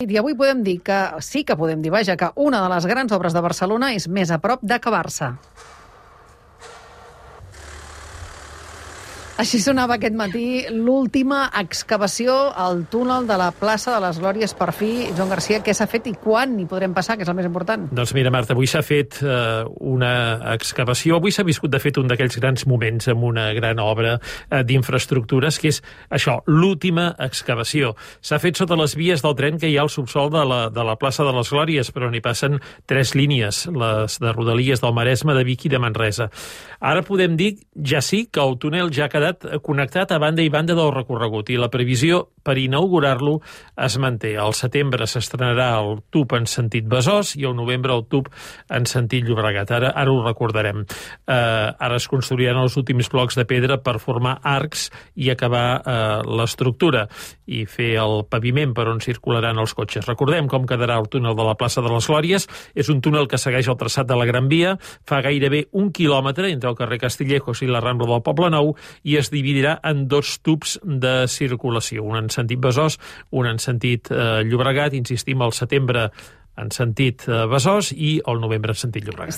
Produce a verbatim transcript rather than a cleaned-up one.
I avui podem dir que, sí que podem dir, vaja, que una de les grans obres de Barcelona és més a prop d'acabar-se. Així sonava aquest matí l'última excavació al túnel de la plaça de les Glòries. Per fi, Joan Garcia, què s'ha fet i quan hi podrem passar, que és el més important? Doncs mira, Marta, avui s'ha fet eh, una excavació. Avui s'ha viscut, de fet, un d'aquells grans moments amb una gran obra eh, d'infraestructures, que és això, l'última excavació. S'ha fet sota les vies del tren que hi ha al subsol de la, de la plaça de les Glòries, però n'hi passen tres línies, les de Rodalies del Maresme, de Vic i de Manresa. Ara podem dir, ja sí, que el túnel ja ha quedat connectat a banda i banda del recorregut i la previsió per inaugurar-lo es manté. Al setembre s'estrenarà el tub en sentit Besòs i al novembre el tub en sentit Llobregat. Ara, ara ho recordarem. Eh, ara es construiran els últims blocs de pedra per formar arcs i acabar eh, l'estructura i fer el paviment per on circularan els cotxes. Recordem com quedarà el túnel de la plaça de les Glòries. És un túnel que segueix el traçat de la Gran Via, fa gairebé un quilòmetre entre el carrer Castillejos i la Rambla del Poblenou i es dividirà en dos tubs de circulació, un en sentit Besòs, un en sentit eh, Llobregat, insistim, al setembre en sentit eh, Besòs i el novembre en sentit Llobregat.